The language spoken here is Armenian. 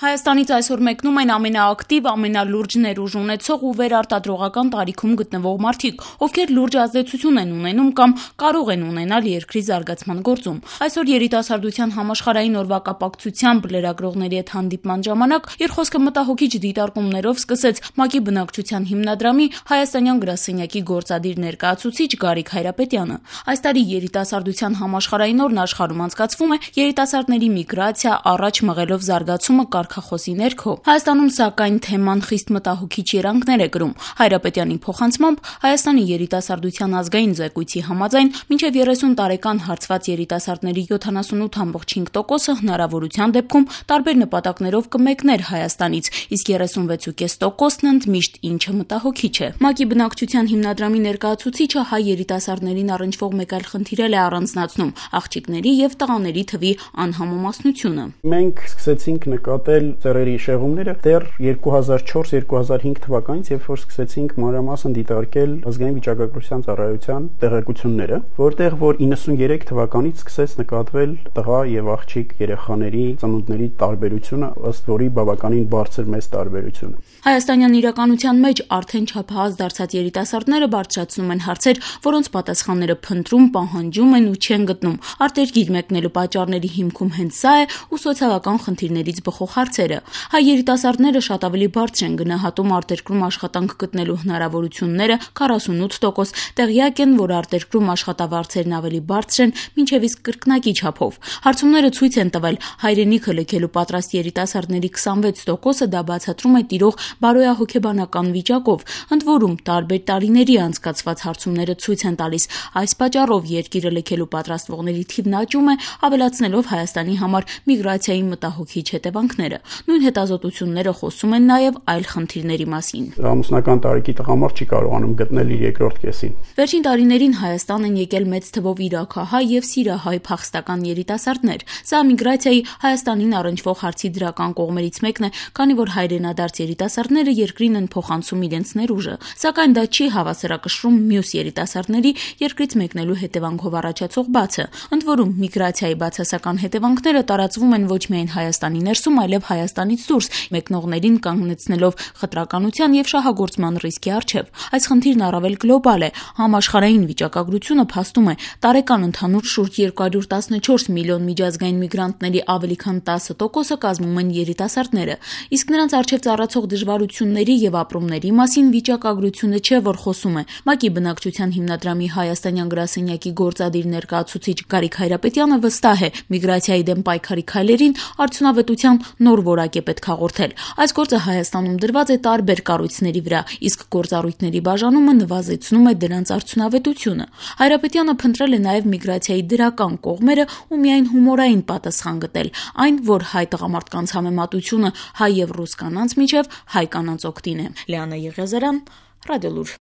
Հայաստանից այսօր մեկնում են ամենաակտիվ, ամենալուրջ ներուժ ունեցող ու վերարտադրողական տարիքում գտնվող մարդիկ, ովքեր լուրջ ազդեցություն են ունենում կամ կարող են ունենալ երկրի զարգացման գործում։ Այսօր երիտասարդության համաշխարհային օրվա կապակցությամբ լրագրողների հետ հանդիպման ժամանակ երկխոսքը մտահոգիչ դիտարկումներով սկսեց ՄԱԿ-ի բնակչության հիմնադրամի հայաստանյան գրասենյակի գործադիր ներկայացուցիչ Գարիկ Հայրապետյանը։ Այս տարի երիտասարդության համաշխարհային օրն աշխարհում անցկացվում է երիտասարդների միգրացիա առաջ մղելով զարգացումը կարգախոսի ներքո։ Հայաստանում սակայն թեման խիստ մտահոգիչ երանգներ է կրում։ Հայրապետյանի փոխանցմամբ Հայաստանի երիտասարդության ազգային զեկույցի համաձայն մինչև 30 տարեկան հարցված երիտասարդների 78.5%-ը հնարավորության դեպքում տարբեր նպատակներով կմեկներ Հայաստանից, իսկ 36.5%-ն ընդմիշտ, ինչը մտահոգիչ է։ ՄԱԿ-ի բնակչության հիմնադրամի ներկայացուցիչը հայ երիտասարդներին առնչվող մեկ այլ խնդիր է առանձնացնում՝ աղջիկների եւ տղաների թվի անհամեմասնությունը։ Մենք սկսեցինք նկատել ծեռերի շեղումները դեռ 2004-2005 թվականից, երբ որ սկսեցինք մանրամասն դիտարկել ազգային վիճակագրության ծառայության տեղեկությունները, որտեղ որ 93 թվականից սկսեց նկատվել տղա եւ աղջիկ երեխաների ծնունդների տարբերությունը, ըստ որի բավականին բարձր մեծ տարբերություն։ Հայաստանյան իրականության մեջ արդեն չափահաս դարձած երիտասարդները բարձրացնում են հարցեր, որոնց պատասխանները փնտրում, պահանջում են ու չեն գտնում։ Արտերկիր մեկնելու պատճառների հիմքում հենց սա է ու սոցիալական խնդիրներից բխող հարցերը։ Հայ երիտասարդները շատ ավելի բարձր են գնահատում արտերկրում աշխատանք գտնելու հնարավորությունները, 48%, տեղյակ են, որ արտերկրում աշխատավարձերն ավելի բարձր են, մինչև իսկ կրկնակի չափով։ Հարցումները ցույց են տվել, հայրենիքը լքելու պատրաստ երիտասարդների 26%-ը դա բացատրում է տիրող բարոյահոգեբանական վիճակով։ Ընդ որում, տարբեր տարիների անցկացված հարցումները ցույց են տալիս, այս պատճառով երկիրը լքելու պատրաստվողների թիվն աճում է, ավելացնելով Հայաստանի համար միգրացիայի մտահոգիչ հետևանքները։ Նույն հետազոտությունները խոսում են նաև այլ խնդիրների մասին։ Ամուսնական տարիքի տղամարդ չի կարողանում գտնել իր երկրորդ կեսին։ Վերջին տարիներին Հայաստան են եկել մեծ թվով իրաքահայ եւ սիրահայ փախստական երիտասարդներ։ Սա միգրացիայի Հայաստանին առնչվող հարցի դրական կողմերից մեկն է, քանի որ հայրենադարձ երիտասարդները երկրին են փոխանցում իրենց ներուժը, սակայն դա չի հավասարակշռում մյուս երիտասարդների երկրից մեկնելու հետևանքով առաջացող բացը։ Ընդ որում, միգրացիայի բացասական հետևանքները տարածվում են ոչ միայն Հայաստանի ներսում, այլև Հայաստանից դուրս, մեկնողներին կանգնեցնելով խտրականության եւ շահագործման ռիսկի առջեւ։ Այս խնդիրն առավել գլոբալ է։ Համաշխարհային վիճակագրությունը փաստում է, տարեկան ընդհանուր շուրջ 214 միլիոն միջազգային միգրանտների ավելի քան 10%-ը կազմում են երիտասարդները, իսկ նրանց առջեւ ծառացող դժվարությունների եւ ապրումների մասին վիճակագրությունը չէ, որ խոսում է։ ՄԱԿ-ի բնակչության հիմնադրամի հայաստանյան գրասենյակի գործադիր ներկայացուցիչ Գարիկ Հայրապետյանը վստահ է, միգրացիայի դեմ պայքարի քայլերին արդյունավետության նոր որակ է պետք հաղորդել։ Այս գործը Հայաստանում դրված է տարբեր կառույցների վրա, իսկ գործառույթների բաժանումը նվազեցնում է դրանց արդյունավետությունը։ Հայրապետյանը փնտրել է նաև միգրացիայի դրական կողմերը ու միայն հումորային պատասխան գտել, այն, որ հայ տղամարդկանց համեմատությունը հայ եւ ռուս կանանց միջև հայ կանանց օգտին է։ Լիանա Եղիազարյան, Ռադիոլուր։